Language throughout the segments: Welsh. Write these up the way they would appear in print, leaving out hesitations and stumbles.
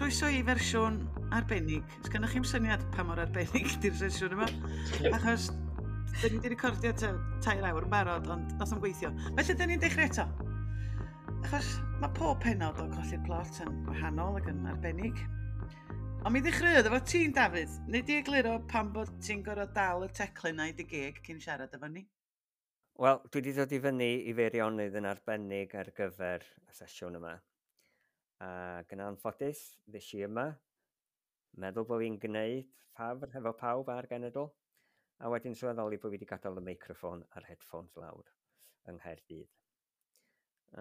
Croeso i fersiwn arbennig. Os gennych chi'm syniad pa mor arbennig di'r sesiwn yma, achos dyn ni wedi recordio 3 awr yn barod, ond nath o'n gweithio. Felly, dyn ni'n dechrau eto. Achos mae pob pennod o Colli'r Plot yn wahanol ac yn arbennig. Ond mi ddechreuodd efo ti'n, Dafydd. Neu di egluro pam bod ti'n gorfod dal y teclyn na i dy geg cyn siarad efo ni? Wel, dwi wedi dod i fyny i Feirionydd yn arbennig ar gyfer y sesiwn yma. Ac yn anffodus, ddes i yma, meddwl bod fi'n gwneud ffafr hefo pawb a'r genedl, a wedyn sylweddoli bod fi wedi gadael y meicroffon a'r headphones lawr yng Nghaerdydd.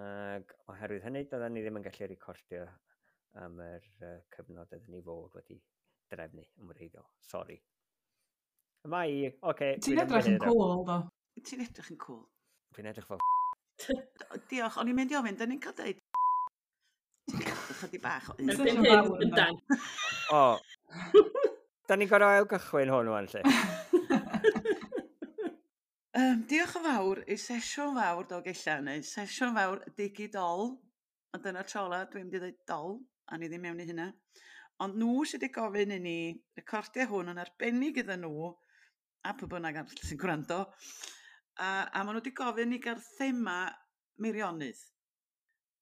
Ac oherwydd hynny, doedden ni ddim yn gallu recordio am yr cyfnod oedden ni fod wedi drefnu yn wreiddiol. Sori. Yma i, oce. Okay. Ti'n edrych yn cool, do. Ti'n edrych yn cool. Dwi'n edrych fel. Diolch, o'n i'n mynd i ofyn, dyn ni'n cael deud chydig bach o un. Erbyn hyn, yndan. O. Da ni'n gorfod ail gychwyn hwn wan, lle. Diolch yn fawr i Sesiwn Fawr Dolgellau, neu Sesiwn Fawr Digidol. Ond dyna'r tro ola dwi'n mynd i ddweud dol, a ni ddim mewn i hynna. Ond nhw sydd wedi gofyn i ni recordio hwn yn arbennig iddyn nhw, a pwy bynnag arall sy'n gwrando. A maen nhw wedi gofyn i gael thema Meirionydd.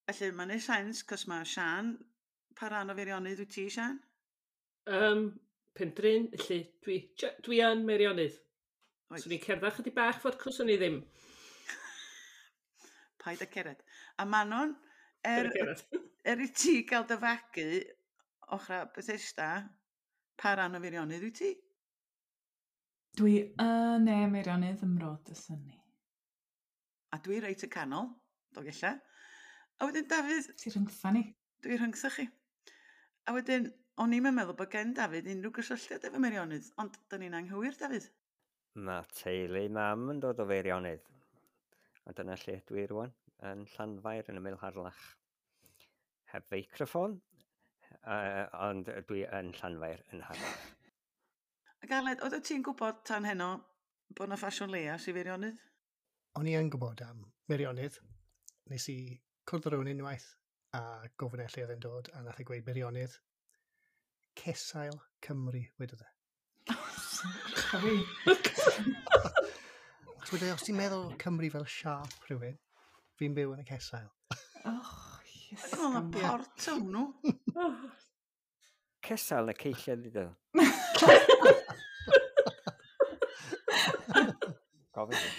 Felly mae'n neud sens, cos mae Sian, pa ran o Feirionydd wyt ti, Sian? Pendryn, felly dwi yn Meirionydd. Swn i'n cerdded chydig bach ffordd cos o'n i ddim. Paid â cered. A Manon, Paid â cered. Er i ti gael dy fagu ochra Bethesda, pa ran o Feirionydd wyt ti? Dwi yn ne Meirionydd ym Mro Dysynni. A dwi reit y canol, Dolgellau. A wedyn Dafydd. Ti rhyngtha ni. Dwi rhyngtha chi. A wedyn, o'n i'm yn meddwl bod gen Dafydd unrhyw gysylltiad efo Meirionydd, ond da ni'n anghywir, Dafydd. Mae teulu mam yn dod o Feirionydd. A dyna lle dwi rwan, yn Llanfair yn ymyl Harlech. Heb feicroffon, ond dwi yn Llanfair yn Harlech. Ac Aled, oeddet ti'n gwybod tan heno bod na ffasiwn leias i Feirionydd? O'n i yn gwybod am Meirionydd. Nes i cwrdd â rhywun unwaith a gofyn e lle oedd e'n dod, a nath e gweud Meirionydd. Cesail Cymru, wedodd e. Sorry. Achos wedodd e, os ti'n meddwl Cymru fel siâp rhywun, fi'n byw yn y cesail. Oh, yes. O'n i'n meddwl na port o'n nhw. Cesail na ceilliad iddo. Gofyn fi.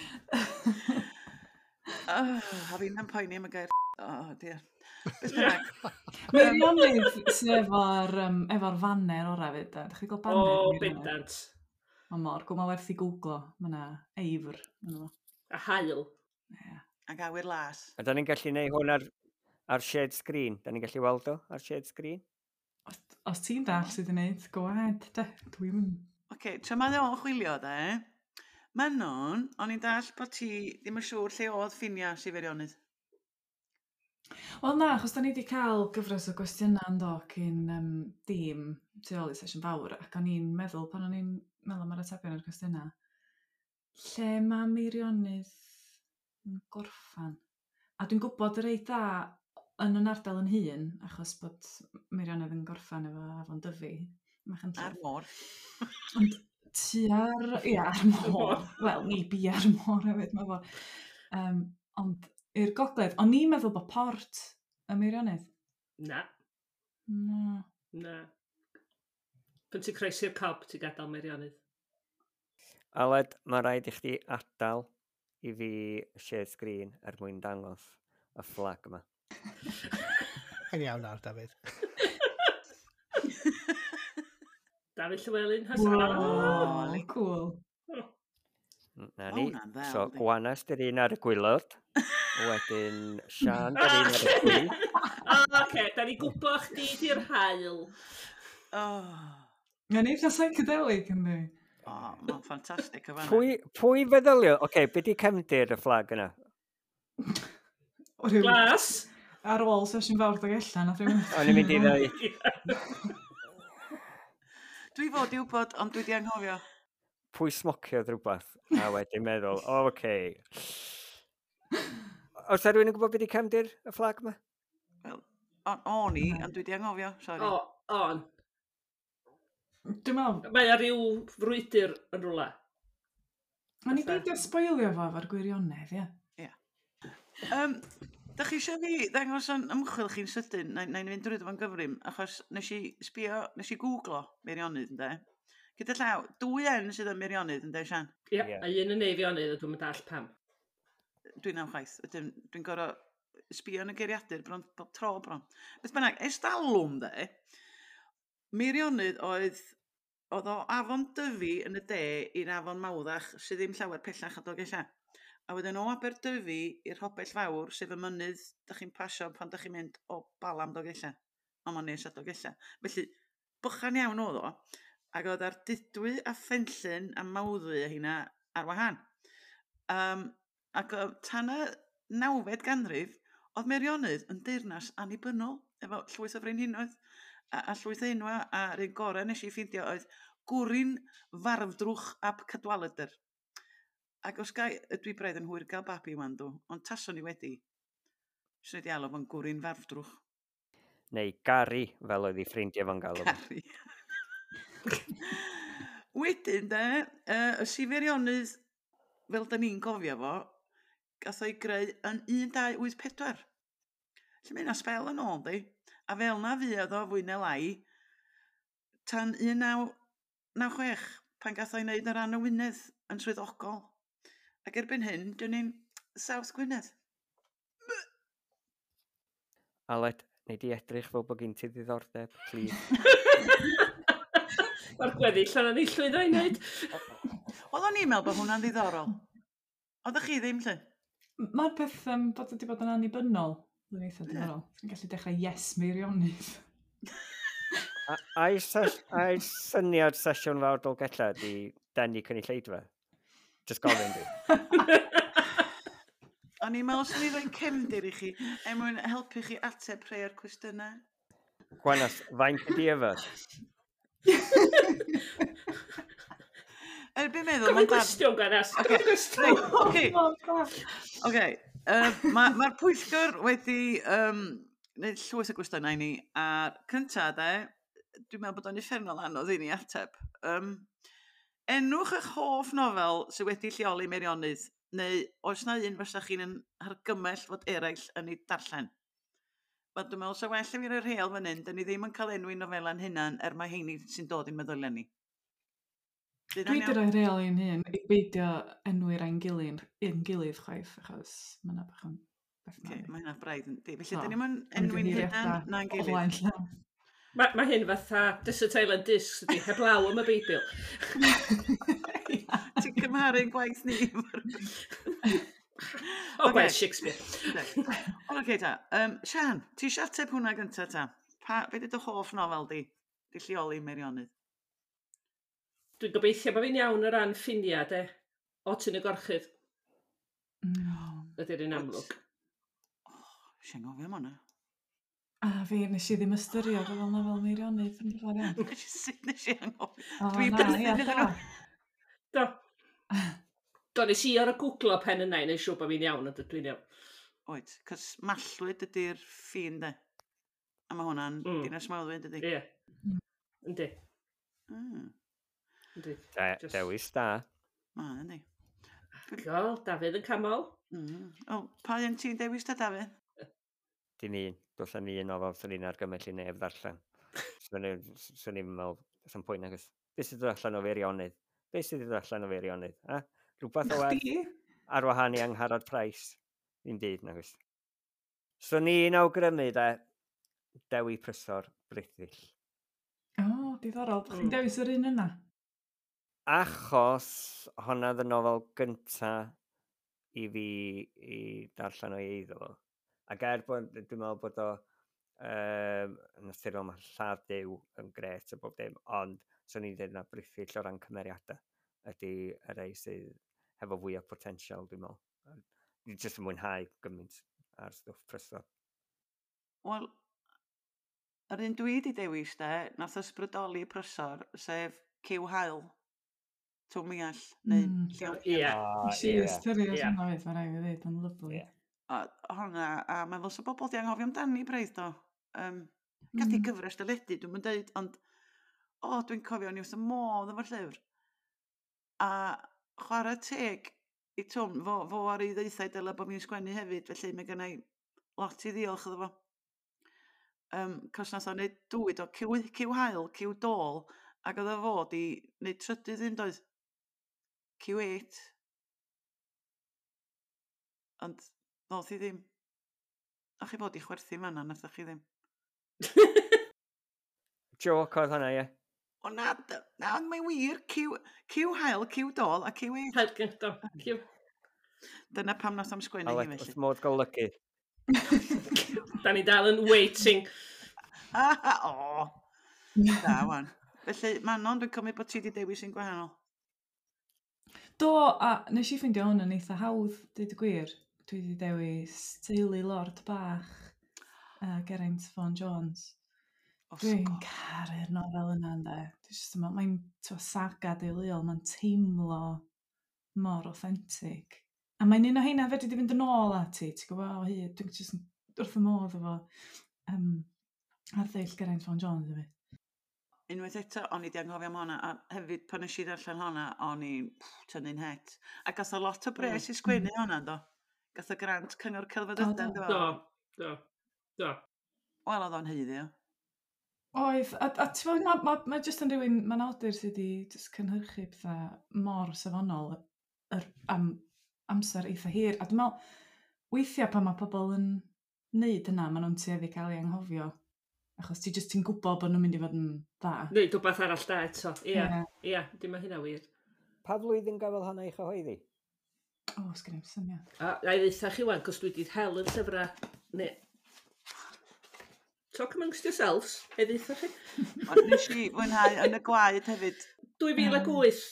Oh, a fi'n am poeni am y gair. Oh, dear. Beth bynnag. Meirionydd sydd efo'r faner orau fyd, de. Dach chi gweld banner O, Meirionydd? Bendant. Mae mor, gwm werth i googlo. Mae yna eifr ynddo fo. A haul. Ie. Ac awyr las. A da ni'n gallu neud hwn ar shared screen? Da ni'n gallu weld o ar shared screen? Os ti'n dall sydd yn neud, go ahead, de. Dwi'n mynd. Oce, okay, tra mae o'n chwilio, de. Manon, o'n i'n dall bod ti ddim yn siŵr lle oedd ffinia Sir Feirionydd. Wel na, achos da ni wedi cael gyfres o gwestiynau yn do cyn dim tu ôl i Sesiwn Fawr, ac o'n i'n meddwl, pan o'n i'n meddwl am yr atebion i'r cwestiynau, lle mae Meirionydd yn gorffan? A dwi'n gwybod reit dda yn yn ardal yn hun, achos bod Meirionydd yn gorffan efo Afon Dyfi. Machynlleth. A'r môr. Ond tua'r, ia, ar môr. Wel, ni bia'r môr hefyd, mae fo. Ond i'r gogledd, o'n i'n meddwl bod port y Meirionydd. Na. Na. Na. Pan ti'n croesi'r Cob, ti'n gadael Meirionydd. Aled, mae rhaid i chdi adael i fi share screen er mwyn dangos y fflag yma. Yn iawn nawr, Dafydd. Dafydd Llywelyn has. Wow, cool. Na Ma' ni. hwnna'n ddel, So, yndi? Gwanas dy'r un ar y gwaelod. Wedyn, Sian dy'r un ar y chwith. O, oce, da ni gwybod chdi di'r haul. Oh. Mae'n eitha psychedelic, yndi? O, mae'n ffantastig o fanna. Pwy feddylio? Oce, okay, be di cefndir y fflag yna? O, ryw- Glas. Ar ôl Sesiwn Fawr Dolgellau, nath rhywun. O'n i'n mynd i ddweud. Dwi fod i wybod, ond dwi di anghofio. Pwy smociodd rhywbeth a wedyn meddwl, o, oce. Okay. Oes 'na rhywun yn gwybod beth di cefndir y fflag yma? Wel, o'n i, ond dwi di anghofio, sori. O, On. Dwi'n meddwl... Mae ar ryw frwydr yn rhywle. Mae'n i beidio sboilio fo efo'r gwirionedd, ie. Ie. Da chi eisiau fi ddangos yn ymchwil chi'n sydyn, na i fynd drwy fo'n gyfrym, achos nes i sbio, nes i googlo Meirionnydd, ynde? Gyda llaw, dwy N sydd yn Meirionnydd, ynde, Sian? Ie, yeah, a un yn Eifionydd, a dwi'n mynd all pam. Dwi'n am chwaith, ydyn, dwi'n gorau sbio yn y geiriadur bron, bob tro bron. Beth bynnag, ers dalwm, de, Meirionnydd oedd, oedd o afon Dyfi yn y de i'r afon Mawddach, sydd ddim llawer pellach a Dolgellau. A wedyn o Aberdyfi i'r Hobell Fawr, sef y mynydd da chi'n pasio pan da chi'n mynd o Balam Dolgellau. Ond mae'n nes at Dolgellau. Felly, bychan iawn oedd o. Ac oedd ar Dudwy a Phenllyn a Mawddwy a hynna ar wahân. Ac tan y 9fed ganrif, oedd Meirionnydd yn deyrnas annibynnol, efo llwyth o frenhinoedd a llwyth o enwa, a'r un gorau nes i ffeindio oedd Gwrin Farfdrwch ap Cadwaladr. Ac os gai, dwi braidd yn hwyr gael babi wan dw, ond taswn i wedi, swn i wedi alw fo'n Gwrin Farfdrwch. Neu Gary, fel oedd ei ffrindiau fo'n galw. Gary. Wedyn de, y Sifeirionydd, fel da ni'n gofio fo, gath o'i greu yn 1284. Felly mae hynna sbel yn ôl, di. A fel na fuodd o fwy neu lai, tan 1996, pan gath o'i wneud yn rhan o Wynedd yn swyddogol. Ac erbyn hyn, dyn ni'n South Gwynedd. Aled, nei di edrych fel bod gen ti ddiddordeb, please. Mae'r gweddill yna ni llwyddo i wneud. Oeddwn i'n meddwl bod hwnna'n ddiddorol. Oeddech chi ddim, lle? Mae'r peth bod wedi bod yn annibynnol yn eitha diddorol. Ti'n gallu dechrau Yes Meirionnydd. Ai syniad sesiwn fawr Dolgellau di denu cynulleidfa? Just gofyn di. O'n i'n meddwl swn i roi'n cefndir i chi er mwyn helpu chi ateb rhai o'r cwestiynau. Gwanas, faint ydi yfed? Erbyn meddwl... Gofyn cwestiwn, Gwanas. Gofyn cwestiwn. Oce. Oce. Mae'r pwyllgor wedi gwneud llwyth o gwestiynau i ni, a'r cynta, de, dwi'n meddwl bod o'n uffernol anodd i ni ateb. Enwch eich hoff nofel sydd wedi lleoli Meirionnydd, neu oes na un fysa chi'n argymell fod eraill yn ei darllen? Wel, dwi'n meddwl sa well i fi roi'r rheol fan hyn, dyn ni ddim yn cael enwi nofela'n hunan er mae heini sy'n dod i'n meddyliau ni. Dwi wedi rhoi rheol i'n hun i beidio enwi'r ein gilydd, ein gilydd chwaith, achos mae yna bach yn beth okay, mae hynna braidd yn di. Felly, dyn ni'n enwi'n hunan na'n gilydd. Mae hyn fatha Desert Island Discs ydi, heblaw am y Beibl. Ti'n cymharu'n gwaith ni. O, gwaith Shakespeare. Oce ta. Sian, ti eisiau ateb hwnna gyntaf ta? Be di dy hoff nofel di? Di lleoli Meirionnydd? Dwi'n gobeithio bod fi'n iawn o ran ffiniau, de. O, ti'n y gorchudd. Ydy'r un amlwg. Sian gofio am hwnna. A fi, nes i ddim ystyrio fel nofel Meirionnydd yn ddiddorol iawn. Sut nes i anghofio? Dwi'n byth yn nhw. Do. Do, nes i ar y googlo pen yna i wneud siŵr bod fi'n iawn, ond dwi'n iawn. Oed, cos Mallwyd ydy'r ffin, de. A mae hwnna'n dinas Mawddwy, dydy? Ie. Yndi. Yndi. Dewis da. Ma, yndi. Gol, Dafydd yn camol. O, pa un ti'n dewis da, Dafydd? Dim un. Does na'm un nofel sy'n ni'n argymell i neb ddarllen. Swn i'n meddwl, does na'm pwynt nag oes. Be sydd dod allan o Feirionnydd? Be sydd dod allan o Feirionnydd? Ha? Rhywbeth o werth ar wahân i Angharad Price. Ddim byd nag oes. Swn i'n awgrymu de, Dewi Prysor Brithyll. O, diddorol. Chi'n dewis yr un yna? Achos honna oedd y nofel gynta i fi i darllen o'i eiddo fo. Ac er bod, dwi'n meddwl bod o naturiol mae lladd Duw yn gret a bob dim, ond swn i'n dweud na Brithyll o ran cymeriadau ydy y rei sydd hefo fwy o potensial, dwi'n meddwl. Dwi'n jyst yn mwynhau gymaint ar stwff Prysor. Wel, yr un dwi wedi dewis de, nath ysbrydoli Prysor, sef Cyw Haul, Twm Miall, neu Llew. Ie. Nes i ystyried hwnna oedd, mae rhaid i ddweud, yn lyfli. A hwnna, a mae'n fel sa bobl di anghofio amdani braidd do. Gath i gyfres deledu, dwi'n mynd deud, ond o, dwi'n cofio, o'n i wrth y modd efo'r llyfr. A chwarae teg i Twm, fo ar ei ddeithau dyle bod fi'n sgwennu hefyd, felly mae gennai lot i ddiolch iddo fo. Cos nath o wneud dwy do, cyw haul, cyw dôl, ac oedd o fod i wneud trydydd un doedd. Q8. Ond ddoth i ddim. O'ch chi fod i chwerthu fan'na, nathoch chi ddim. Joke oedd hwnna, ie. O na, na, ond mae'n wir, cyw haul, cyw dôl a cyw eight. Haul, cyw dôl, cyw. Dyna pam nath am sgwennu hi felly. Wrth modd golygu. Da ni dal yn waiting. O, da wan. Felly, Manon, dwi'n cymryd bod ti wedi dewis un gwahanol. Do, a nes i ffeindio hwn yn eitha hawdd, dweud y gwir. Dwi wedi dewis Teulu Lord Bach, Geraint Vaughan Jones. Dwi'n caru'r nofel yna, ynddo. Mae'n saga deuluol, mae'n teimlo mor authentic. A mae'n un o heina fedri di fynd yn ôl ati, ti'n gwybod, o hyd, dwi'n just wrth y modd efo arddull Geraint Vaughan Jones hefyd. Unwaith eto, o'n i 'di anghofio am honna, a hefyd pan nes i ddarllen honna, o'n i'n tynnu'n het. A gath o lot o bres i sgwennu honna, do? Gath o grant Cyngor Celfyddydau, do? Do, do, do. Wel, oedd o'n haeddu o. Oedd, a ti'n gwybod, mae jyst yn rhywun, mae'n awdur sydd wedi jyst cynhyrchu pethau mor safonol am amser eitha hir. A dwi'n meddwl, weithiau pan mae pobl yn neud hynna, maen nhw'n tueddu cael ei anghofio. Achos ti jyst ti'n gwybod bod nhw'n mynd i fod yn dda. Neu rhywbeth arall da eto. Ie, ie, dim mae hynna wir. Pa flwyddyn gafodd hwnna ei chyhoeddi? O, sgen i'm syniad. A na i ddeutha chi wan, cos dwi wedi hel yr llyfrau. Ne. Talk amongst yourselves, ei ddeutha chi. Ond nes i fwynhau yn y gwaed hefyd. 2008.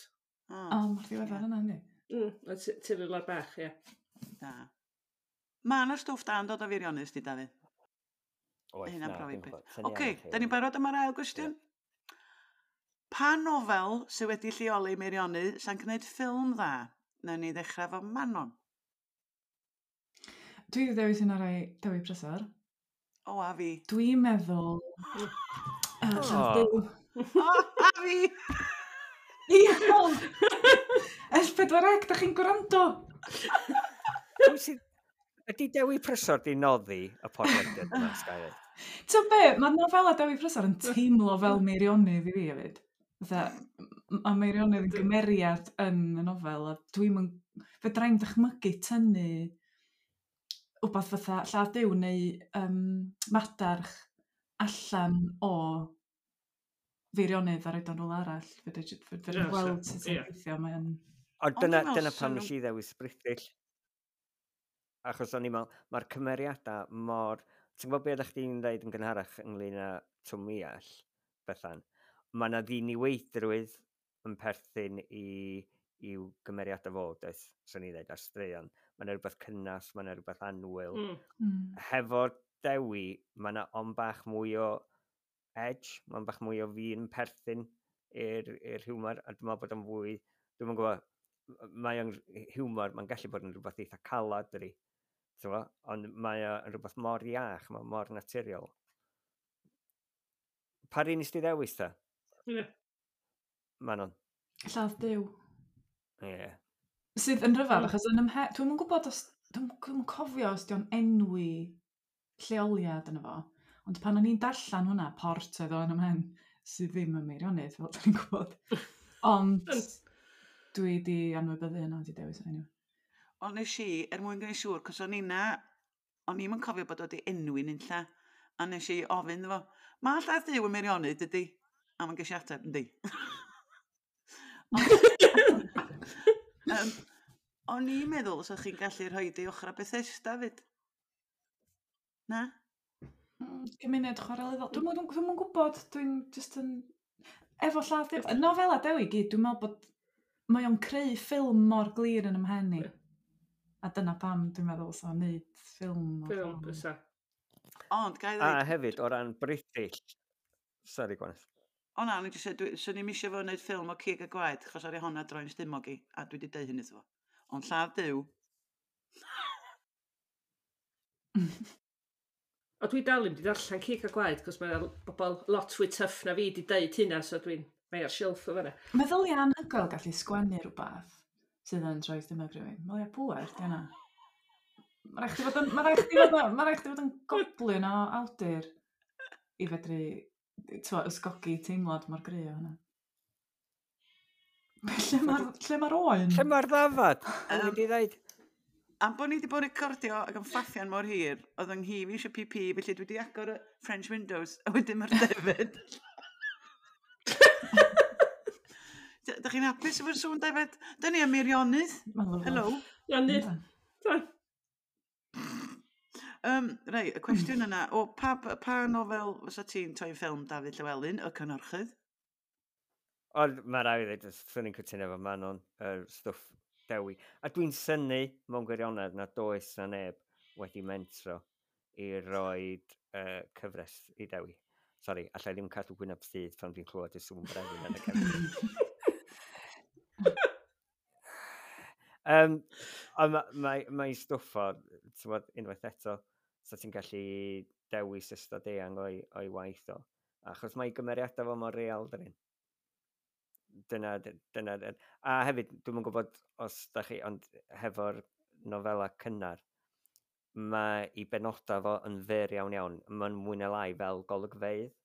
O, mor ddiweddar yna, yndi? Teulu Lord Bach, ie. Da. Mae yna stwff da yn dod o Feirionnydd, di, Dafydd? Oes, Hynna'n na, profi dwi'n peth. gwybod. Syniad Oce, i chi. da ni'n barod am yr ail gwestiwn? Pa nofel sydd wedi lleoli Meirionnydd sa'n gwneud ffilm dda? Nawn ni ddechrau efo Manon. Dwi wedi dewis un o'r rai Dewi Prysor. O, a fi. Dwi'n meddwl... Lladd Duw. O, a fi! Iawn! S4C, da chi'n gwrando? Pwy sydd... Ydy Dewi Prysor di noddi y podlediad yma, sgai ddeud? Ti'n be, mae nofela Dewi Prysor yn teimlo fel Meirionnydd i fi hefyd. Fatha, mae Meirionnydd yn gymeriad yn y nofel, a dwi'n mynd... Fedra i'm dychmygu tynnu wbath fatha Lladd Duw neu Madarch allan o Feirionnydd a roed o'n rhywle arall. Fedra i'n gweld sut sy'n gweithio, mae'n... Ond dyna pam nes i ddewis Brithyll. Achos o'n i'n meddwl, mae'r cymeriadau mor... Ti'n gwybod beth ydych chdi'n dweud yn gynharach ynglyn â Twm Miall, Bethan? Mae yna ddiniweidrwydd yn perthyn i'w gymeriadau fo, does, swn i'n dweud, ar straeon. Mae yna rhywbeth cynnas, mae yna rhywbeth annwyl. Hefo Dewi, mae yna ond bach mwy o edge, mae'n bach mwy o fi'n perthyn i'r hiwmor, a dwi'n meddwl bod o'n fwy, dwi'm yn gwybod, mae o'n hiwmor, mae'n gallu bod yn rhywbeth eitha calad, dydi. Ond mae o'n rhywbeth mor iach, mae mor naturiol. Pa un nes di ddewis ta? Ie. Manon. Lladd Duw. Ie. Sydd yn rhyfedd, achos yn dwi'm yn gwybod os... Dwi'm yn cofio os di o'n enwi lleoliad yno fo, ond pan o'n i'n darllen hwnna, Port oedd o yn ymhen, sydd ddim yn Meirionnydd, fel da ni'n gwybod. Ond dwi di anwybyddu hynna, di dewis o anyway. Ond nes i, er mwyn gwneud siŵr, cos o'n i'm yn cofio bod o wedi enwi'n unlla, a nes i ofyn iddo fo, mae Lladd Duw yn Meirionnydd, dydy? A mae'n ges i ateb, yndi. O'n i'n meddwl os o'ch chi'n gallu rhoi di ochr a Bethesda fyd. Na? Gymuned chwarelyddol. Dwi'm yn gwybod, dwi'n just yn... Efo Lladd Duw, y nofela Dewi gyd, dwi'n meddwl bod mae o'n creu ffilm mor glir yn ymhen i. A dyna pam dwi'n meddwl sa wneud ffilm. Ffilm, bysa. Ond, ga i ddweud... A hefyd, o ran British... Sorry, Gwyneth. O na, o'n i jyst dweud, swn i'm eisiau fo wneud ffilm o Cig a Gwaed, achos ar ei honna droi'n stumog i, a dwi wedi deud hynny iddo fo. Ond Lladd Duw. O dwi dal ddim 'di darllen Cig a Gwaed, cos mae bobl lot fwy tough na fi 'di deud hynna, so dwi'n... Mae ar silff o fanna. Meddylia anhygoel gallu sgwennu rhywbeth sydd yn troi stumog rhywun. Meddylia pŵer, di hynna. Mae rhaid chdi fod yn, ma' raid chdi fod yn, ma' raid chdi fod yn goblin o awdur i fedru t'mo, ysgogi teimlad mor gry o hynna. Lle mae'r lle mae'r oen? Lle mae'r ddafad? O'n i wedi dweud. Am bod ni wedi bod yn recordio ac yn ffaffian mor hir, oedd yng nghi fi eisiau PP, felly dwi wedi agor y French windows, a wedyn mae'r defed. Dych chi'n hapus efo'r sŵn defed? Dyn ni am Meirionnydd. Hello. Ionydd. Rei, y cwestiwn yna, o, pa, pa nofel fysa ti'n toi ffilm Dafydd Llywelyn, y cynhyrchydd? Ond mae rhaid i ddweud, swn i'n cytuno efo Manon, yr stwff Dewi. A dwi'n synnu mewn gwirionedd na does na neb wedi mentro i roed cyfres i Dewi. Sori, allai ddim cadw gwyneb sydd pan dwi'n clywed y sŵn brefyn yn y cefn. Ond mae stwff o, ti'n gwbod, unwaith eto, so ti'n gallu dewis ystod eang o'i waith o. Achos mae gymeriadau fo mor real, dyn. Dyna, a hefyd, dwi'm yn gwybod os da chi, ond hefo'r nofela cynnar, mae i benodau fo yn fyr iawn iawn. Mae'n mwy na lai fel golygfeydd.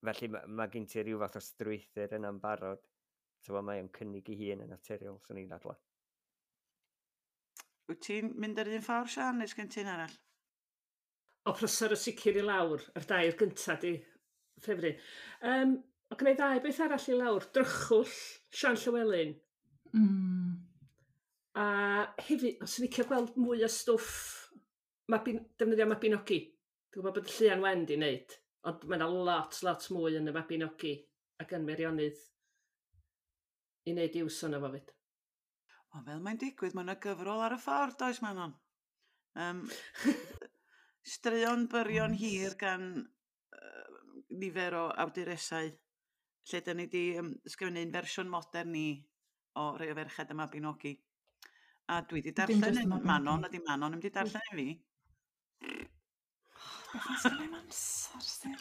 Felly mae gen ti rhyw fath o strwythur yna'n barod. So, mae o'n cynnig ei hun yn naturiol, swn i'n dadlau. Wyt ti'n mynd ar un ffordd, Sian, neu sgen ti'n arall? O, Prysor y sicr i lawr, yr dair gyntaf di ffefryn. O gwneud ddau beth arall i lawr, Drychwll, Sian Llywelyn. A hefyd, os ydyn ni'n gweld mwy o stwff defnyddio Mabinogi. Dwi'n gwybod bod Llian Wen di wneud, ond mae yna lot, lot mwy yn y Mabinogi ac yn Meirionnydd i wneud iws o'na fo fyd. O, fel mae'n digwydd, mae yna gyfrol ar y ffordd, does Manon? Straeon byrion hir gan nifer o awduresau, lle dyn ni wedi ysgrifennu un fersiwn modern ni o rai o ferched y Mabinogi. A dwi wedi darllen un Manon, a di Manon ddim wedi darllen un fi. Beth oes gen i'm amser, Steve?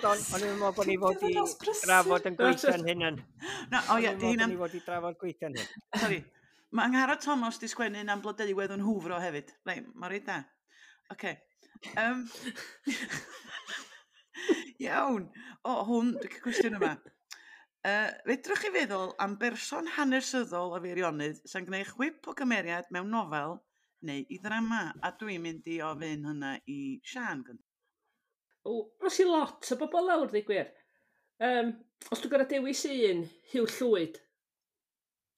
O'n i'n meddwl bod ni fod i drafod yn gweithio'n hynny. Na, o ie, di hynna'n... O'n i'n meddwl bod ni fod i drafod gweithio'n hyn. Sori, mae Angharad Thomas di sgwennu am Blodeuwedd yn hwfro hefyd. Reit, mae reit da. Oce. Iawn. O, hwn, dwi'n cael cwestiwn yma. Fedrwch chi feddwl am berson hanesyddol o Feirionnydd sy'n gwneud chwip o gymeriad mewn nofel neu i ddrama? A dwi'n mynd i ofyn hynna i Sian. O, os i lot o bobl lawr, ddeud gwir. Os dwi'n gorfod dewis un, Huw Llwyd.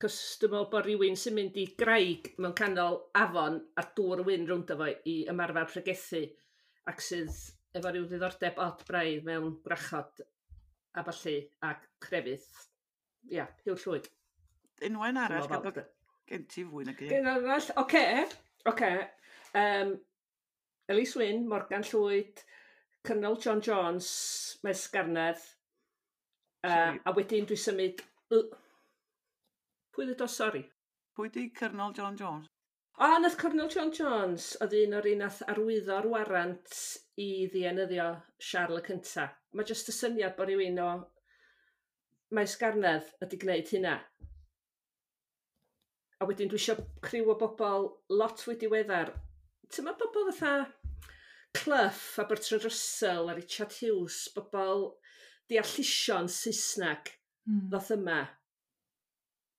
Cos dwi'n meddwl bod rhywun sy'n mynd i graig mewn canol afon a dŵr wyn rownd efo i ymarfer pregethu ac sydd efo rhyw ddiddordeb od braidd mewn gwrachod a ballu a crefydd. Ia, Huw Llwyd. Unwaith arall, gan bod gen ti fwy nag un. Gen arall, oce, oce. Elis Wyn, Morgan Llwyd, Colonel John Jones, Maes Garnedd. A wedyn dwi symud... Pwy ddweud o, sori? Pwy di Colonel John Jones? O, nath Colonel John Jones, oedd un o'r un nath arwyddo'r warant i ddienyddio Siarl y Cynta. Mae jyst y syniad bod rhywun o Maes Garnedd ydi gwneud hynna. A wedyn dwi eisiau criw o bobl lot fwy diweddar. Ti'n ma bobl fatha Clough a Bertrand Russell a Richard Hughes, bobl deallusion Saesneg ddoth yma.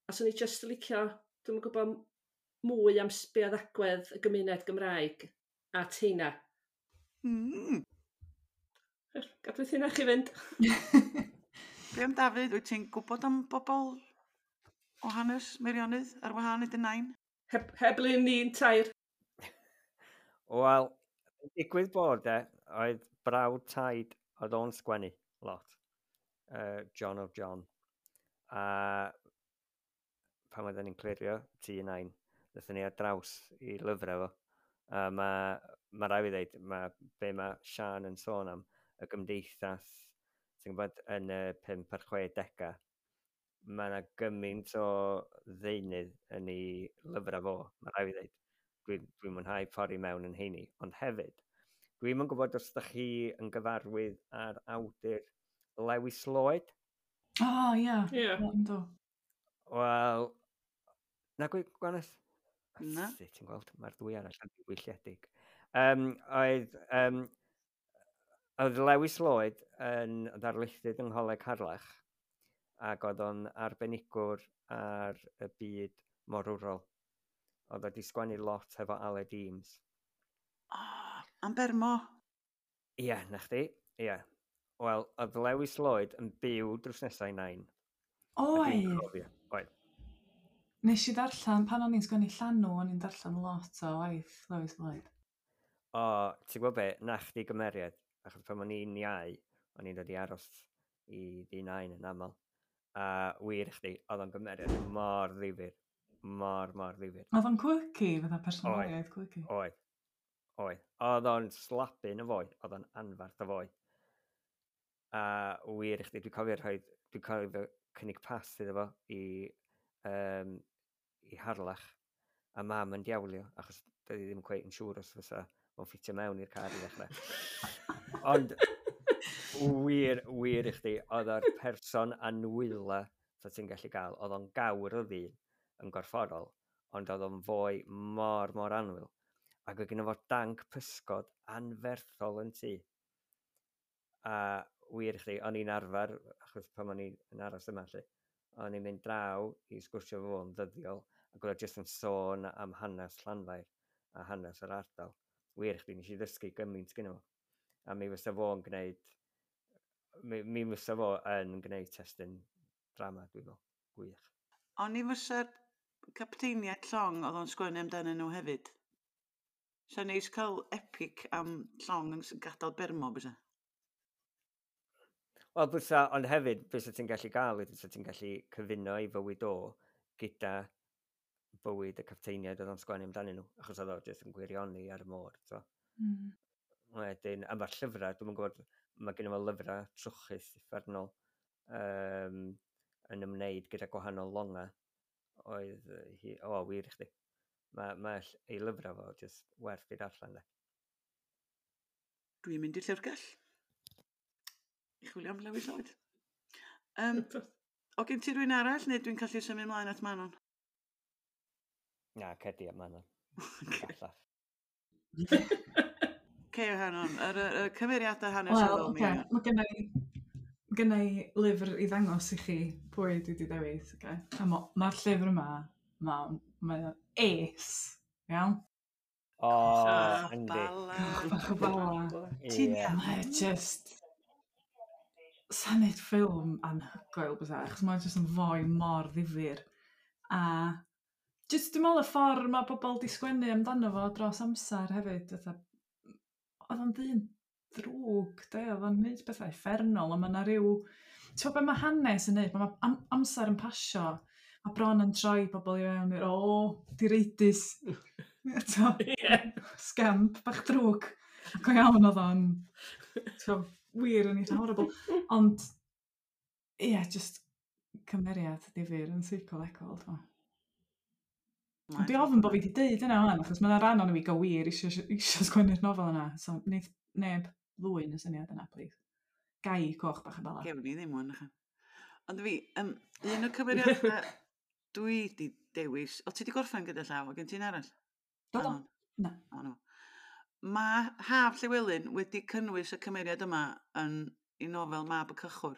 A swn i jyst yn licio, dwi'm yn gwybod mwy am be oedd agwedd y gymuned Gymraeg at heina. Gadwyd hynna chi fynd. Be am Dafydd, wyt ti'n gwybod am bobl o hanes Meirionnydd ar wahân i dy nain? Heb lun ni'n tair. Wel, digwydd bod e, oedd brawd taid oedd o'n sgwennu lot. John of John. A pan oedden ni'n clirio tŷ nain, ddaethon ni ar draws i lyfrau fo. A mae rhaid fi ddeud, mae be mae Sian yn sôn am, y gymdeithas, ti'n gwybod, yn y 5 a'r 60au, mae yna gymaint o ddeunydd yn ei lyfrau fo, mae rhaid fi ddeud. Dwi mwynhau pori mewn yn heini. Ond hefyd, dwi'm yn gwybod os ydych chi yn gyfarwydd â'r awdur Lewis Lloyd. O, oh, ie. Yeah. Ie. Yeah. Wel, na gwy, Gwanas? Na. Sut ti'n gweld, mae'r ddwy arall yn ddiwylliedig. Oedd Lewis Lloyd yn ddarlithydd yng Ngholeg Harlech ac oedd o'n arbenigwr ar y byd morwrol. Oedd o 'di sgwennu lot hefo Aled Eames. Oh, am Bermo. Ie, na chdi, ie. Wel, oedd Lewis Lloyd yn byw drws nesau nain. Oedd. Oedd. Nes i ddarllen, pan o'n i'n sgwennu Llanw, o'n i'n darllen lot o waith Lewis Lloyd. O, ti'n gwybod be, na chdi gymeriad, achos pan o'n i'n iau, o'n i'n dod i aros i ddi nain yn aml. A wir i chdi, oedd o'n gymeriad mor ddifyr. Mor, mor ddifyr. Oedd o'n quirky, fatha personoliaeth quirky. Oedd. Oedd. Oedd o'n slabyn y foi, oedd o'n anfarth y foi. A wir i chdi, dwi'n cofio rhoi, dwi'n cofio cynnig pas iddo fo i Harlech. A mam yn diawlio, achos doedd hi ddim cweit yn siŵr os fysa fo'n ffitio mewn i'r car i ddechrau. Ond wir, wir i chdi, oedd o'r person anwyla sa ti'n gallu gael. Oedd o'n gawr o ddyn yn gorfforol, ond oedd o'n foi mor, mor annwyl. Ac oedd gynno fo danc pysgod anferthol yn tŷ. A wir i chdi, o'n i'n arfer, achos pan o'n i'n aros yma, lle, o'n i'n mynd draw i sgwrsio fo yn ddyddiol, ac oedd o jyst yn sôn am hanes Llanfair a hanes yr ardal. Wir i chdi, nes i ddysgu gymaint gynno fo. A mi fysa fo'n gwneud, mi fysa fo yn gwneud testun drama, dwi'n meddwl. Gwych. O'n i fysa'r capteiniaid llong oedd o'n sgwennu amdanyn nhw hefyd. Sa'n neis cael epic am llong yn gadael Bermo, bysa? Wel, bysa, ond hefyd, bysa ti'n gallu gael, bysa ti'n gallu cyfuno ei fywyd o gyda bywyd y capteiniaid oedd o'n sgwennu amdanyn nhw, achos oedd o jyst yn gwirioni ar y môr. So. Mm. Wedyn, a mae'r llyfrau, dwi'm yn gwybod, mae gen fo lyfrau trwchus uffernol yn ymwneud gyda gwahanol longau. Oedd hi, o, wir i chdi. Mae ei lyfrau fo jyst werth i darllen, de. Dwi'n mynd i'r llyfrgell i chwilio am Lewis Lloyd. O gen ti rywun arall, neu dwi'n gallu symud ymlaen at Manon? Na, cedi at Manon. Gallaf. Ce, Manon, yr cymeriadau hanesyddol. Wel, oce, mae gen i lyfr i ddangos i chi pwy dwi wedi dewis. Okay? A mae'r llyfr yma, mae o'n ace, iawn? O, yndi. Bach o bala. Ti'n iawn. Mae just... Sa'n neud ffilm anhygoel bysa, achos mae'n just yn foi mor ddifyr. A just dwi'n meddwl y ffordd mae pobl di sgwennu amdano fo dros amser hefyd. Fatha, oedd o'n ddyn drwg, de, oedd o'n neud pethau uffernol, ond mae yna rhyw... Ti'n gwybod be mae hanes yn neud? Mae amser yn pasio, mae bron yn troi pobl i fewn i'r, o, direidus. Eto, scamp, bach drwg. Go iawn oedd o'n, ti'n wir yn eitha horrible. Ond, ie, yeah, just cymeriad difyr yn seicolegol, dwi'n meddwl. Dwi ofn bod fi wedi deud yna wan, achos mae yna rhan o'n i go wir eisiau sgwennu'r nofel yna. So, wneith neb ddwyn y syniad yna, please. Gai coch bach y bala. Gewn ni ddim wan. Ond fi, un o'r cymeriadau dwi wedi dewis... O, ti wedi gorffen gyda llaw, o gen ti'n arall? Do, do. Na. O, no. Mae Haf Llywelyn wedi cynnwys y cymeriad yma yn ei nofel Mab y Cychwr,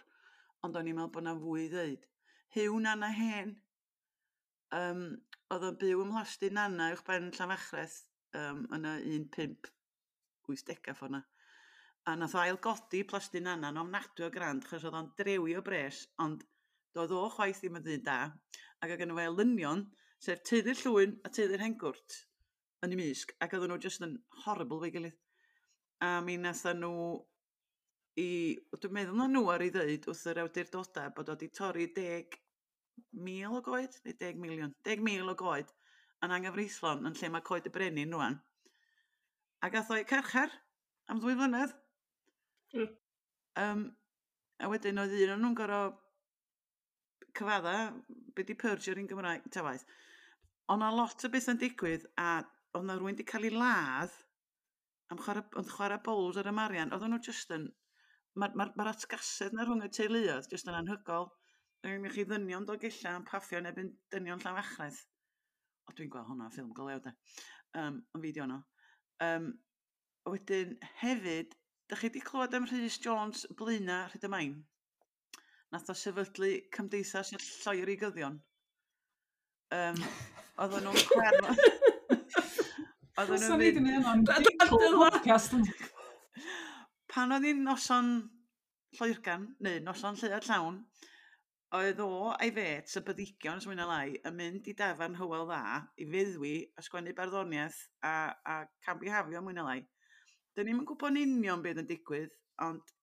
ond o'n i'n meddwl bod yna fwy i ddeud. Huw Nana Hen, oedd o'n byw ym Mhlasty Nana uwchben Llanfachreth yn y 1580 ffordd 'na. A nath o ailgodi Plasty Nana yn ofnadwy o grand, achos oedd o'n drewi o bres, ond doedd o chwaith ddim yn ddyn da, ac oedd gynno fo elynion, sef teulu'r Llwyn a teulu'r Hengwrt yn ei mysg, ac oedden nhw jyst yn horrible fo'i gilydd. A mi nathon nhw dwi'n meddwl na nhw ar ei ddeud wrth yr awdurdodau bod o wedi torri 10,000 o goed, neu 10 miliwn, 10,000 o goed yn anghyfreithlon yn lle mae Coed y Brenin rŵan. A gath o'i carchar am 2 flynedd. A wedyn oedd un o'n nhw'n gorfod cyfadda, be di perjury yn Gymraeg, ta waeth. Ond o lot o bethau'n digwydd, a oedd na rywun wedi cael ei ladd am chwarae, ond chwarae bowls ar y marian. Oedden nhw just yn... Mae'r ma atgasedd na rhwng y teuluoedd just yn anhygol. Dwi'n chi ddynion Dolgella yn paffio yn ebyn dynion Llanfachreth. O, dwi'n gweld hwnna, ffilm go lew de. Yn fideo no. Wedyn, hefyd, da chi wedi clywed am Rhys Jones Blaena Rhyd-y-main? Nath o sefydlu Cymdeithas y Lloerigyddion. Oedden nhw'n cwerno... Oedden nhw'n mynd... Podcast. Pan oedd hi'n noson lloergan, neu noson lleuad llawn, oedd o a'i fet, y byddigion, os mwy na lai, yn mynd i dafarn Hywel Dda i feddwi a sgwennu barddoniaeth a cambihafio mwy na lai. Dyn ni'm yn gwybod yn union beth yn digwydd, ond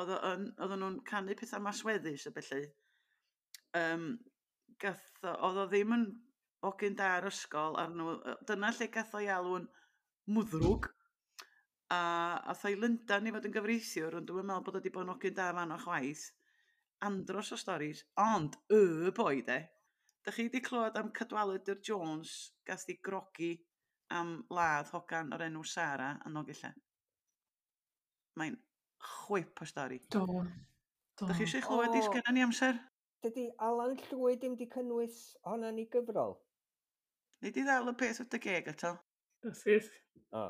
oedden nhw'n canu pethau masweddus a felly. Oedd o ddim yn hogyn da ar ysgol ar nhw. Dyna lle gath o'i alw'n mwddrwg. A ath o i Lundain i fod yn gyfreithiwr, ond dwi'n meddwl bod o wedi bod yn hogyn da fan o chwaith. Andros o storis, ond y boi de. Da chi wedi clywed am Cadwaladr Jones gath ei grogi am ladd hogan o'r enw Sara yn Nolgellau? Mae'n chwip o stori. Do. Do. Da chi eisiau clywed i sgynna ni amser? Dydy Alan Llwyd ddim wedi cynnwys hwnna'n ei gyfrol? Nei di ddal y peth wrth y geg eto? Syth. O.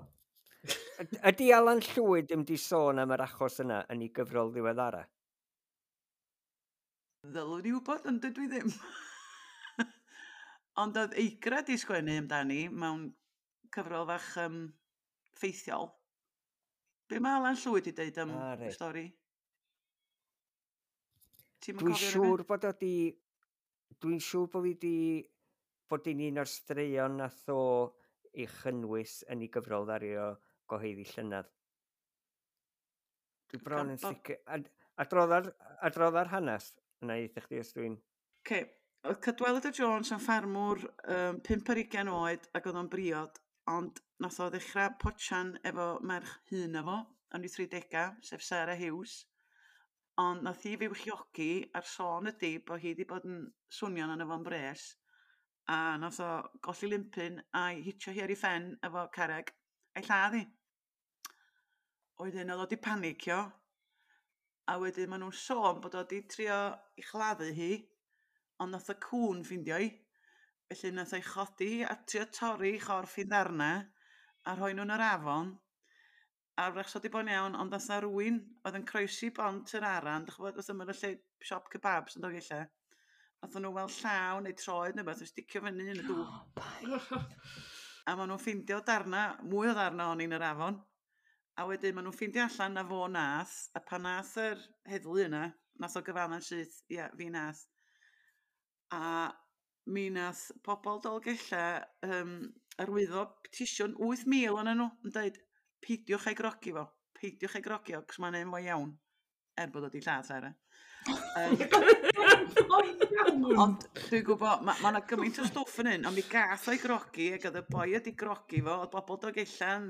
Ydy Alan Llwyd ddim wedi sôn am yr achos yna yn ei gyfrol ddiweddara? Ddylwn i wybod, ond dydw i ddim. Ond oedd Eigra di sgwennu amdani mewn cyfrol fach ffeithiol. Be mae Alan Llwyd i deud am y stori? Dwi'n siŵr bod o di... Dwi'n siŵr bod fi di... bod hi'n un o'r straeon nath o ei chynnwys yn ei gyfrol ddario gyhoeddi llynedd. Dwi bron yn sicr... Adrodda'r hanes yna i chdi os dwi'n... Okay. Oedd Cadwaladr Jones yn ffarmwr 25 oed ac oedd o'n briod, ond nath o ddechrau potsian efo merch hŷn efo, yn ei 30au, sef Sarah Hughes. Ond nath hi fywchiogi a'r sôn ydy bod hi wedi bod yn swnio'n arno fo'n bres, a nath o golli limpyn a'i hitio hi ar ei phen efo carreg a'i lladd hi. Wedyn oedd o wedi panicio, a wedyn maen nhw'n sôn bod o wedi trio i chladdu hi, ond nath y cŵn ffindio hi. Felly nath o'i chodi hi a trio torri chorff hi'n ddarnau a rhoi nhw'n yr afon. A wrach so di bod yn iawn, ond nath na rywun oedd yn croesi bont yr Aran, dych chi'n gwybod, wrth ymyl y lle siop kebabs yn Dolgellau. Nath nhw weld llaw neu troed neu beth, yn sticio fyny yn y dŵr. A maen nhw'n ffindio darna, mwy o ddarna o'n i'n yr afon. A wedyn maen nhw'n ffindio allan na fo nath, a pan nath yr heddlu yna, nath o gyfadda'n syth, ia, fi nath. A mi nath pobl Dolgellau arwyddo petisiwn 8,000 ohonyn nhw yn dweud, peidiwch ei grogi fo, peidiwch ei grogi fo, cos mae'n un fo iawn, er bod o wedi lladd Sarah. Ond dwi'n gwybod, mae yna gymaint o stwff yn hyn, ond mi gath o'i grogi, ac oedd y boi wedi grogi fo, oedd bobl Dolgellau yn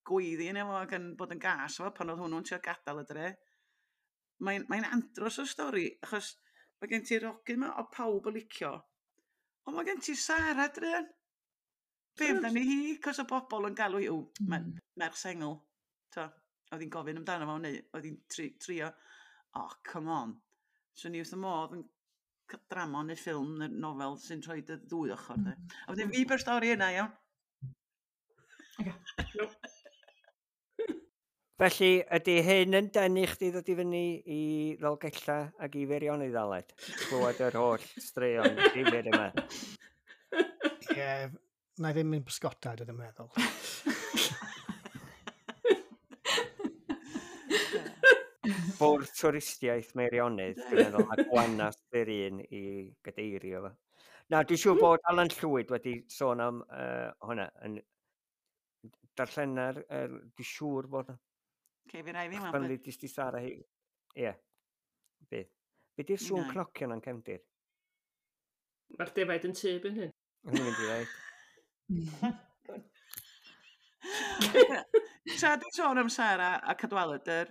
gweiddi yn efo ac yn bod yn gas fo pan oedd hwnnw'n trio gadael y dre. Mae'n andros o stori, achos mae gen ti'r hogyn yma o pawb yn licio, ond mae gen ti Sara druan. Be amdani hi, cos o bobl yn galw hi, o, merch sengl. To, oedd hi'n gofyn amdano fo, neu oedd hi'n trio, oh, come on. So ni wrth y modd yn drama neu ffilm neu nofel sy'n rhoi y ddwy ochr. De. A wedyn fi by'r stori yna, iawn. Okay. Felly, ydy hyn yn denu chdi ddod i fyny i Ddolgellau ac i Feirionnydd, Aled? Clywed yr holl straeon difyr yma. Ie, na i ddim yn bysgota, dwi ddim yn meddwl. Bwrdd twristiaeth Meirionnydd, dwi'n meddwl, a Gwanas yr un i gadeirio fo. Na, dwi'n siŵr bod Alan Llwyd wedi sôn am hwnna. Yn darllena'r, dwi'n siŵr bod... Okay, fi rai fi Pan ddudis di Sara hi. Ie. Bydd. Be di'r sŵn cnocio na'n cefndir? Mae'r defaid yn tŷ byn hyn. Yn mynd i ddeud. Tra dwi'n sôn am Sara a Cadwaladr,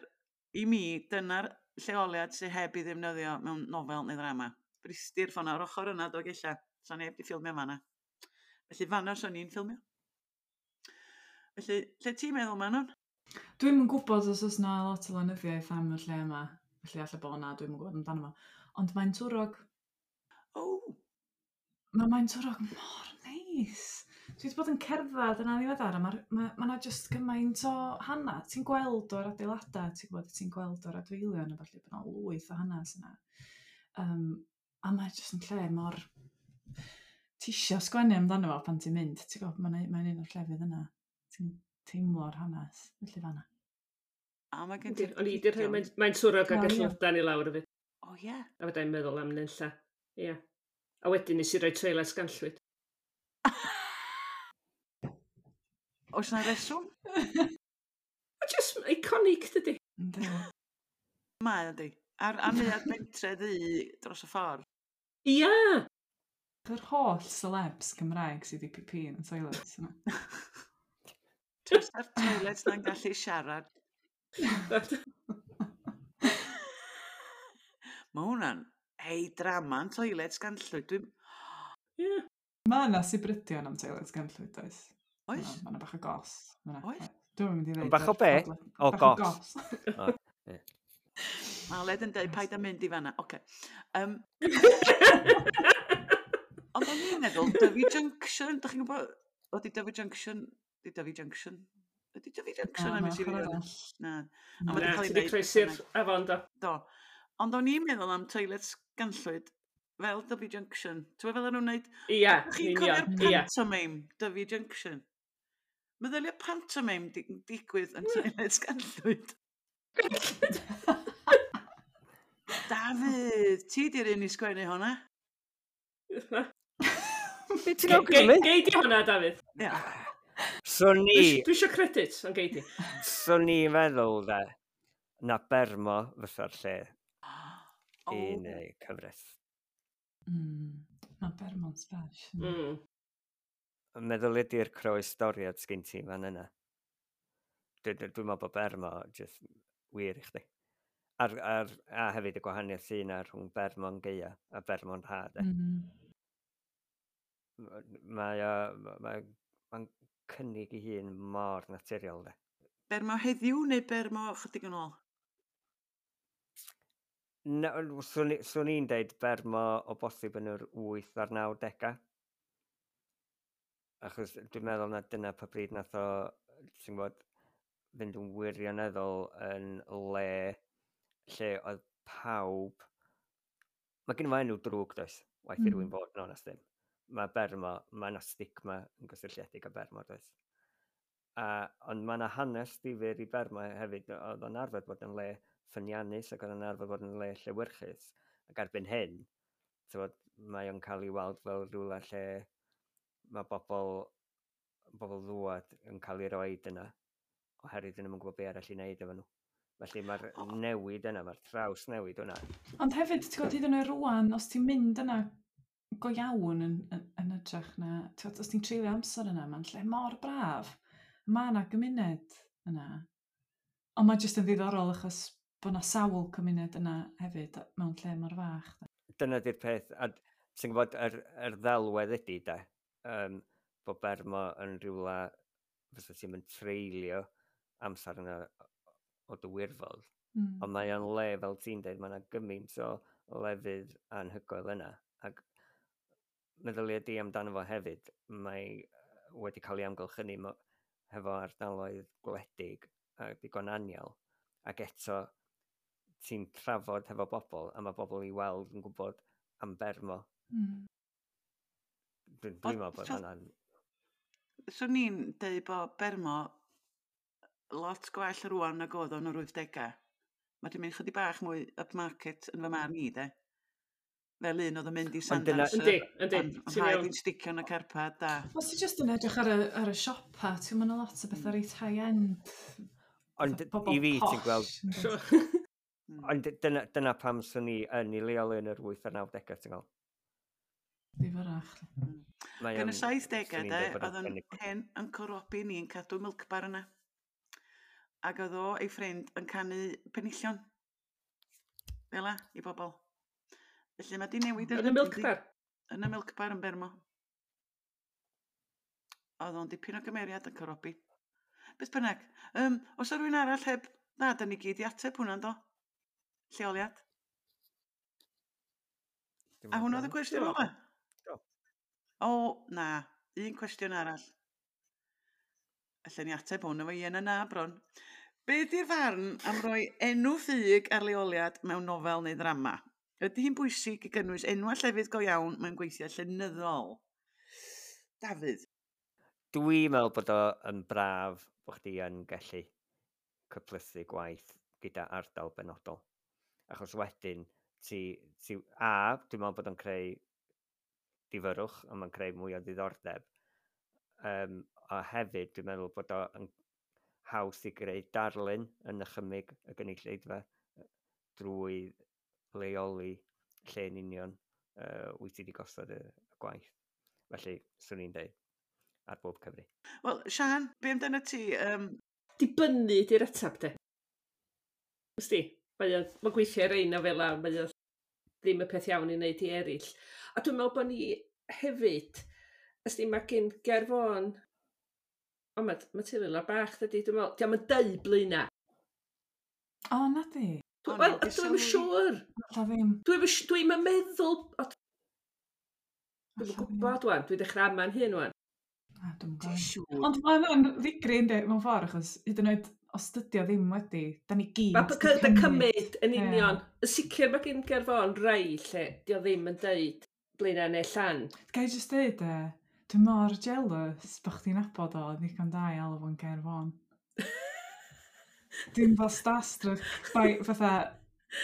i mi, dyna'r lleoliad sydd heb ei ddefnyddio mewn nofel neu ddrama. Brysty'r ffordd ar ochr yna Dolgellau. Sa neb di ffilmio fan'na. Felly fan'na swn i'n ffilmio. Felly, lle ti'n meddwl, Manon? Dwi'm yn gwybod os oes 'na lot o lenyddiaeth am y lle yma. Felly alla bod 'na, dwi'm yn gwybod amdano fo. Ond Maentwrog. O! Mae Maentwrog mor neis. Dwi wedi bod yn cerdded yna ddiweddar a mae ma, ma 'na jyst gymaint o hanes. Ti'n gweld o'r adeiladau, ti'n gwybod, ti'n gweld o'r adfeilion a falle bod 'na lwyth o hanes yna. A mae jyst yn lle mor... Ti isio sgwennu amdano fo pan ti'n mynd, ti'n gwybod, mae'n un o'r llefydd yna. Ti'n teimlo'r hanes, felly fanna. A mae gen ti'r O'n i 'di rhoi Maentwrog ag Ellylldan i lawr hefyd. O ie. A fydda i'n meddwl am nunlla. Ie. A wedyn nes i roi toilet Ganllwyd. Oes 'na reswm? Ma' just iconic, dydi? Yndi. Mae yndi. A'r a neuadd Pentre Ddu dros y ffordd. Ia! Yr holl celebs Cymraeg sydd wedi pipi yn y toilets yna. Tasa'r toilets na'n gallu siarad. Mae hwnna'n hei drama'n toilets Ganllwyd. Dwi'n... Ie. Mae yna sibrydion am toilets Ganllwyd, oes? Oes? Mae yna bach o gos. Ma' 'na. Oes? Dwi'm yn mynd i ddeud... Bach o be? O, Bach o gos. gos. O, ie. Mae Aled yn dweud paid â mynd i fanna. Oce. Ond o'n i'n meddwl, Dyfi Junction, dych chi'n gwybod, ydy Dyfi Junction, ydy Dyfi Junction, ydy Dyfi Junction Na, am ma' i ochr arall. Na. Na. A ma' 'di Na, cael ei ti 'di wneud croesi'r beth bynnag. afon, do. Do. Ond o'n i'n meddwl am toilets Ganllwyd fel Dyfi Junction. Ti'n gwybod fel o'n nhw'n wneud? Ia, Ydych chi'n yn cofio'r union. Ia. pantomime Dyfi Junction? Meddylia pantomime digwydd yn toilets Ganllwyd. Dafydd, ti di'r un i sgwennu hwnna? Be ti'n awgrymu? Gei di hwnna, Dafydd. Ia. So ni... Dwi isio credit, ond gei di. So ni'n meddwl, de, na Bermo fysa'r lle i wneud cyfres. Mae Bermo'n sbesh. Meddwl ydy'r croestoriad sgyn ti fan yna. Dwi'n meddwl bod Bermo just wir i chdi. A hefyd y gwahaniaeth sy'n yna rhwng Bermo'n gaea a Bermo'n ha, de. Mae o, mae'n cynnig ei hun mor naturiol, de. Bermo heddiw neu Bermo chydig yn ôl? Na, swn i'n deud Bermo o bosib yn yr 8 a'r 90au. Achos dwi'n meddwl na dyna pa bryd nath o, ti'n gwybod, fynd yn wirioneddol yn le lle oedd pawb... Mae gen i fo enw drwg, does? Waeth i rywun fod yn onest ddim. Mae Bermo, mae yna stigma yn gysylltiedig â Bermo, does? Ond mae yna hanes difyr i Bermo hefyd. Oedd o'n arfer bod yn le ffyniannus ac oedd o'n arfer bod yn le llewyrchus. Ac erbyn hyn, t'wod, mae o'n cael ei weld fel rhywle lle mae bobl ddwad yn cael ei roed yna oherwydd dyn nhw'm yn gwybod be arall i wneud efo nhw. Felly mae'r newid yna, mae'r traws newid yna. Ond hefyd, ti'n gwybod, hyd yn oed rŵan, os ti'n mynd yna go iawn yn hytrach na, ti'n gwybod, os ti'n treulio amser yna, mae'n lle mor braf. Mae yna gymuned yna. Ond mae jyst yn ddiddorol achos bod yna sawl cymuned yna hefyd mewn lle mor fach. Dyna di'r peth, a ti'n gwybod, yr ddelwedd ydy, de, bod Bermo yn rhywle fysa ti'n mynd treulio amser yna o dy wirfodd. Ond mae o'n le, fel ti'n dweud, mae yna gymaint o lefydd anhygoel yna. Ac meddylia di amdano fo hefyd, mae wedi cael ei amgylchynu hefo ardaloedd gwledig a digon anial. Ac eto, ti'n trafod hefo bobl, a mae bobl i weld yn gwybod am Bermo. Dwi'n meddwl bod hwnna'n... Swn i'n deud bod Bermo lot gwell rŵan nag oedd o'n yr 80au. Mae 'di mynd chydig bach mwy upmarket yn fy marn i, de. Fel un oedd yn mynd i Ond dyna- Sandanser. Yndi, yndi, Ond ti'n rhaid iawn. i'n sticio yn y carpad a... Os ti jyst yn edrych ar y siopa, ti'n mynd lot o bethau reit high-end. Ond Pobol i fi, ti'n posh, gweld... yn dod. Ond dyna pam swn i yn ei leoli yn yr 8 a'r 90au, ti'n gweld? Ddifyrrach. Mae Gan y o'n- 70au, swn i'n de, deud bod o'n oedd yn cynnig- hen Uncle Robbie ni'n cadw milk bar yna. Ac oedd o, ei ffrind, yn canu penillion. Fel 'a, i bobl. Felly mae di newid Yn y milk bar? Yn y milk bar yn Bermo. Oedd o'n dipyn o gymeriad yn Robbie. Beth bynnag. Os o rhywun arall heb... Na, da ni gyd i ateb hwnna, do. Lleoliad. A hwnna oedd y cwestiwn ola? O, na. Un cwestiwn arall. Allen ni ateb hwn efo ie na na bron. Be di'r farn am roi enw ffug ar leoliad mewn nofel neu ddrama? Ydy hi'n bwysig i gynnwys enwau llefydd go iawn mewn gweithiau llenyddol? Dafydd? Dwi'n meddwl bod o yn braf bod chdi yn gallu cyplysu gwaith gyda ardal benodol. Achos wedyn, ti, ti, a, dwi'n meddwl bod o'n creu difyrwch, a mae'n creu mwy o ddiddordeb. A hefyd, dwi'n meddwl bod o'n haws i greu darlun yn nychymyg y gynulleidfa drwy leoli lle yn union wyt ti wedi gosod y gwaith. Felly, swn i'n deud, ar bob cyfri. Wel, Sian, be amdano ti? Dibynnu di'r ateb, de. Wsti, mae'n gweithio ar ein nofela, mae o ddim y peth iawn i wneud i eraill. A dwi'n meddwl bod ni hefyd, ysdi, mae gen Ger Fôn, o, mae teulu lawr bach, dydy, dwi'n meddwl, diolch yn deud Blaena. O, na di. Wel, dwi'm yn siŵr. Alla ddim. Dwi'm yn meddwl... Dwi'm yn gwybod wan, dwi'n dechrau ama'n hyn wan. Na, dwi'm yn gwybod. Ond mae'n ddigri, yndi, mewn ffordd, achos hyd yn oed os dydi o ddim wedi, da ni gyd... Mae'n cymryd yn union. Yn sicr mae gen Ger Fôn rai lle di o ddim yn deud Blaena neu Llan. Ga i jyst deud, dwi mor jealous bod chdi'n nabod o ddigon da i alw fo'n Ger Fôn. Dwi'n fel starstruck by, fatha,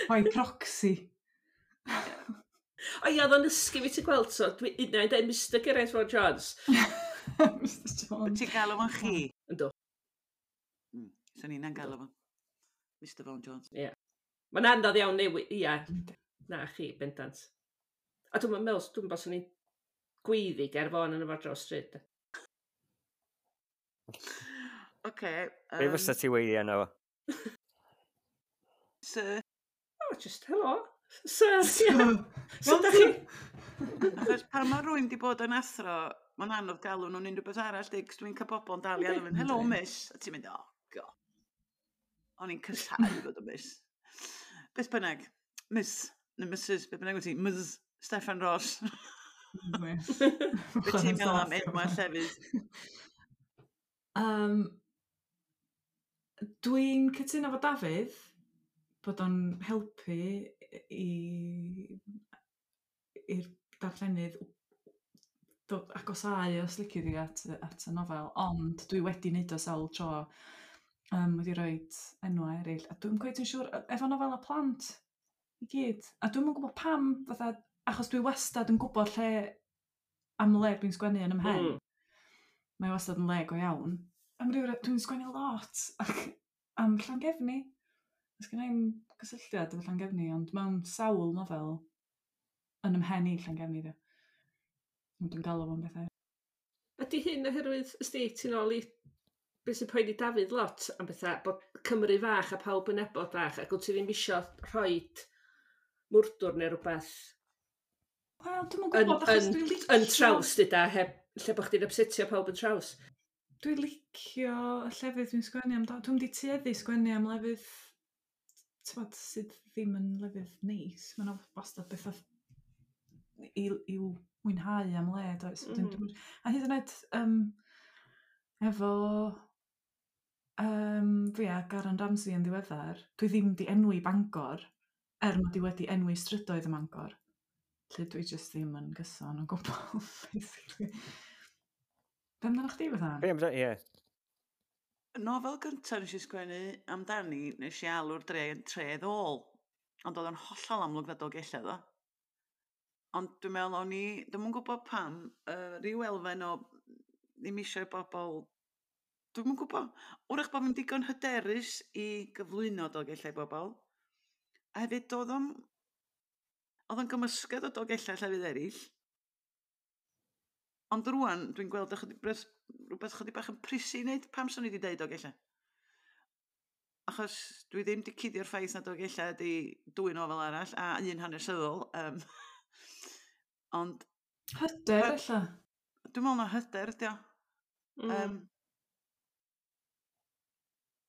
by proxy. O ia, oedd o'n ysgu fi ti'n gweld, so dwi unai'n dweud Mr Geraint Vaughan Jones. Mr Jones. Ti'n galw fo'n chi? Yndw. Swn i'n galw fo. Mr Vaughan Jones. Ie. Yeah. Mae'n anodd iawn newid, ia. Na chi, bendant. A dwi'n meddwl, dwi'n meddwl swn i'n gweiddi Ger Fôn yn y fo dros stryd. Oce. Be fysa ti weiddi arno fo? Sir. Oh, just hello. Sir, yeah. Sir, da chi? Achos pan mae rhywun di bod yn athro, mae'n anodd galw nhw'n unrhyw beth arall, di, cos dwi'n cael bobl yn dal i alw fynd, hello miss, a ti'n mynd, oh, god. O'n i'n cysau fod yn miss. Beth bynnag, miss, neu Mrs, beth bynnag wyt ti, Ms, Steffan Ross. Be ti'n meddwl am enwau llefydd? Dwi'n cytuno efo Dafydd bod o'n helpu i'r darllenydd dod agosáu os lici di at y nofel, ond dwi wedi wneud o sawl tro, wedi rhoi enwau eraill, a dwi'n cweit yn siŵr, efo nofela plant i gyd, a dwi'm yn gwybod pam, fatha, achos dwi wastad yn gwybod lle am le dwi'n sgwennu yn 'y mhen. Mae wastad yn le go iawn. Am ryw dwi'n sgwennu lot ac am Llangefni. Oes gen i'm cysylltiad efo Llangefni, ond mewn sawl nofel yn 'y mhen i Llangefni de. Ond dwi'n galw fo'n bethau. Ydy hyn oherwydd, ysdi, ti'n ôl i beth sy'n poeni Dafydd lot am bethau, bod Cymru fach a pawb yn nabod bach, ac wyt ti ddim isio rhoid mwrdwr neu rhywbeth. Wel, dwi'm yn gwybod, achos dwi'n licio... Yn traws, dyda, heb, lle bod chdi'n upsetio pawb yn traws. Dwi'n licio y llefydd dwi'n sgwennu amdano. Dwi'm di tueddu sgwennu am lefydd, t'mod, sydd ddim yn lefydd neis. Mae 'na wastad bethau i'w mwynhau am le, does? A hyd yn oed efo fi a Garen Ramsay yn ddiweddar, dwi ddim di enwi Bangor, er mod i wedi enwi strydoedd ym Mangor. Lle dwi jyst ddim yn gyson o gwbl, basically. Be amdano chdi, Bethan? Be amdano, ie. Nofel gyntaf nes i sgwennu amdani, nes i alw'r dre yn Tre Ddôl. Ond oedd o'n hollol amlwg na Dolgellau ddo. Ond dwi'n meddwl o'n i, dwi'm yn gwybod pam, rhyw elfen o ddim eisiau bobl, dwi'm yn gwybod, wrach bod fi'n digon hyderus i gyflwyno Dolgellau i bobl. A hefyd oedd o'n gymysgedd o Dolgellau llefydd eraill. Ond rŵan, dwi'n gweld rhywbeth chydig bach yn prisi i wneud pam swn i wedi deud Dolgellau. Achos dwi ddim wedi cuddio'r ffaith na Dolgellau ydi dwy nofel arall a un hanesyddol. Ond... Hyder, ella? Dwi'n meddwl na hyder, ydi o.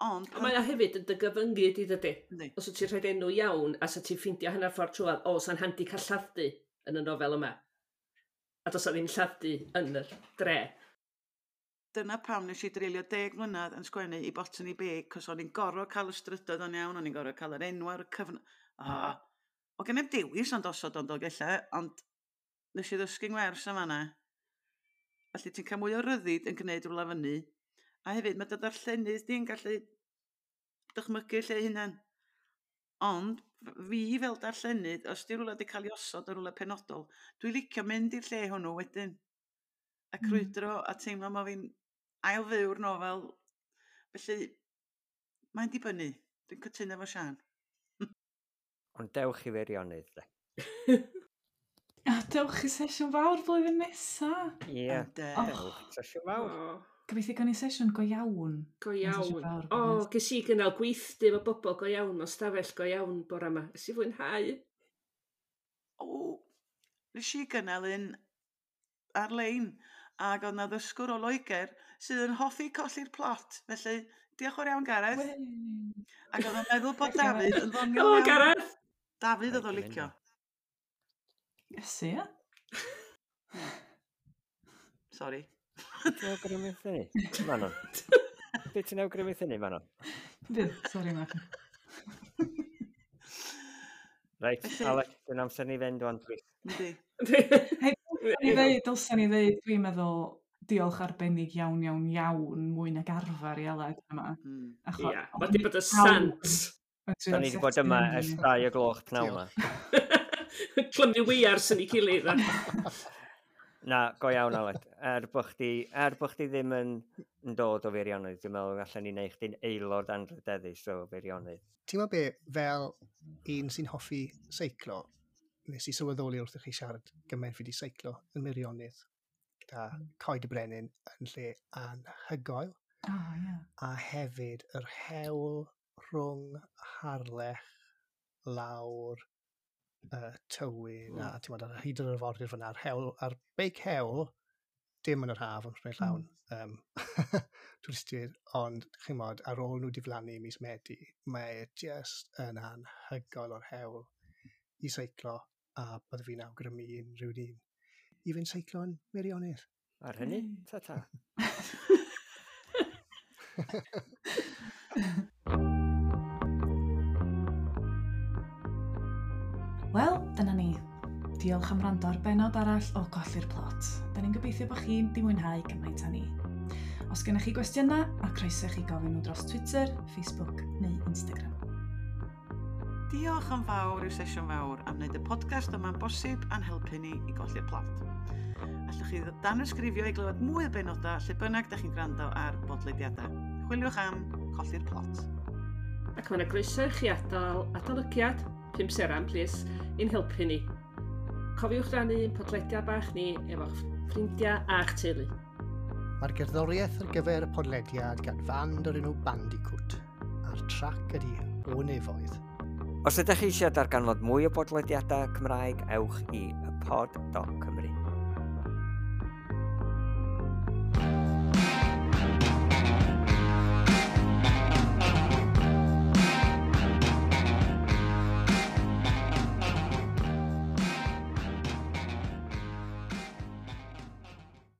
Ond... Mae o hefyd yn dy gyfyngu di, dydy. Yndi. Os wyt ti'n rhaid enw iawn, a sa ti'n ffeindio hanner ffordd trwadd, o, sa'n handi cael lladd-dy yn y nofel yma. A does 'na ddim lladd-dy yn y dre. Dyna pam nes i dreulio 10 mlynedd yn sgwennu i Botany Bay, cos o'n i'n gorfod cael y strydoedd o'n iawn, o'n i'n gorfod cael yr enw ar y cyfn... Ah, o gen i'm dewis ond osod o'n Dolgellau, ond nes i ddysgu ngwers am fanna. Felly ti'n cael mwy o ryddid yn gwneud rhywle fyny. A hefyd mae dy ddarllenydd di'n gallu dychmygu lle hunan. Ond fi fel darllenydd, os di rhywle wedi cael ei osod yn rhywle penodol, dwi'n licio mynd i'r lle hwnnw wedyn. A crwydro a teimlo ma' fi'n ail-fyw'r nofel. Felly, mae'n dibynnu. Dwi'n cytuno efo Siân. Ond dewch i Feirionnydd, de. A dewch i sesiwn fawr blwyddyn nesa. Ie, Ynde. dewch i sesiwn fawr. O, Gobeithio gawn ni sesiwn go iawn. go Yn sesiwn iawn. fawr, O, blwyddyn ges i gynnal gweithdy efo bobl go iawn, mewn stafell go iawn bore yma. Nes i fwynhau. O, nes i gynnal un ar-lein ac oedd 'na ddysgwr o Loegr sydd yn hoffi colli'r plot. Felly, diolch yn fawr iawn, Gareth. Wey. Ac oedd o'n meddwl bod Dafydd yn ddoniol Helo, iawn. Gareth! Dafydd oedd o'n Rhaid i licio. fynd. Iesu, ia? Sori. Ti'n awgrymu hynny, Manon? Be ti'n awgrymu hynny, Manon? Fydd, sori Mac. Reit, Felly- Alec, dwi'n amser ni fynd wan, please. Yndi. Hei, ni ddeud, dylsen ni ddeud, dwi'n meddwl, diolch arbennig iawn, iawn, iawn, mwy nag arfer i Aled yma. Achos, Ia, mae di bod y sant. Da ni wedi bod yma ers 2 o gloch pnawn yma. Clymu weiars yn ei gilydd. Na, go iawn, Aled. Er bo chdi ddim yn dod o Feirionnydd, dwi'n meddwl allan ni wneud chdi'n aelod anrhydeddus o Feirionnydd. Ti'n meddwl be, fel un sy'n hoffi seiclo, nes i sylweddoli wrth i chi siarad gymaint fi wedi seiclo yn Meirionnydd gyda Coed y Brenin yn lle anhygoel. O, ie. A hefyd yr hewl rhwng Harlech lawr Tywyn a ti'n meddwl, ar hyd yr arfordir fyna, ar hewl, ar beic hewl, dim yn yr haf, ond rhaid llawn twristiaid, ond chi'n modd, ar ôl nhw diflannu mis Medi, mae e just yn anhygoel o'r hewl i seiclo, a bydde fi'n awgrymu i unrhyw un i fynd seiclo yn Meirionnydd. Ar hynny, ta ta. Wel, dyna ni. Diolch am wrando ar bennod arall o Golli'r Plot. Da ni'n gobeithio bod chi'n di mwynhau gymaint â ni. Os gennych chi gwestiynau, a croeso i chi gofyn nhw dros Twitter, Facebook neu Instagram. Diolch yn fawr i'r Sesiwn Fawr am wneud y podcast yma'n bosib a'n helpu ni i golli'r plot. Allwch chi danysgrifio i glywed mwy o benodau lle bynnag da chi'n gwrando ar bodlediadau. Chwiliwch am Colli'r Plot. Ac mae yna groeso i chi adael adolygiad, 5 seran, plis, i'n helpu ni. Cofiwch rannu ein podlediad bach ni efo'ch ffrindiau a'ch teulu. Mae'r gerddoriaeth ar gyfer y podlediad gan fand o'r enw Bandicoot, a'r trac ydy O Nefoedd. Os ydych chi eisiau darganfod mwy o bodlediadau Cymraeg, ewch i ypod.cymru.